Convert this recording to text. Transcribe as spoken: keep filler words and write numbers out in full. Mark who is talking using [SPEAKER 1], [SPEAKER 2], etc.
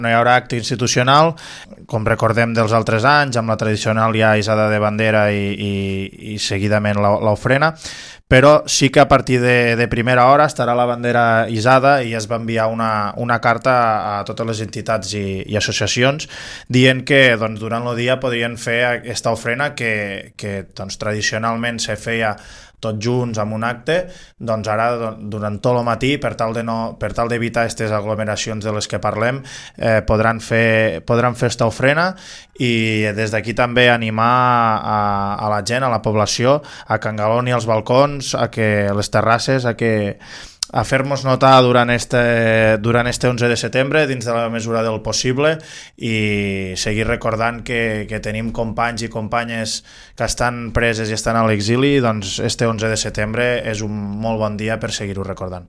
[SPEAKER 1] No hi haurà acte institucional, com recordem dels altres anys, amb la tradicional ja isada de bandera i, i, i seguidament l'ofrena, però sí que a partir de, de primera hora estarà la bandera isada i es va enviar una, una carta a totes les entitats i, i associacions dient que doncs, durant el dia podrien fer aquesta ofrena que, que doncs, tradicionalment se feia tots junts amb un acte, doncs ara durant tot el matí, per tal de no, per tal d'evitar aquestes aglomeracions de les que parlem, eh, podran fer podran fer esta ofrena i des d'aquí també animar a, a la gent, a la població, a que engaloni els balcons, a que les terrasses, a que a fer-nos notar durant este, durant este onze de setembre dins de la mesura del possible i seguir recordant que, que tenim companys i companyes que estan preses i estan a l'exili, doncs este onze de setembre és un molt bon dia per seguir-ho recordant.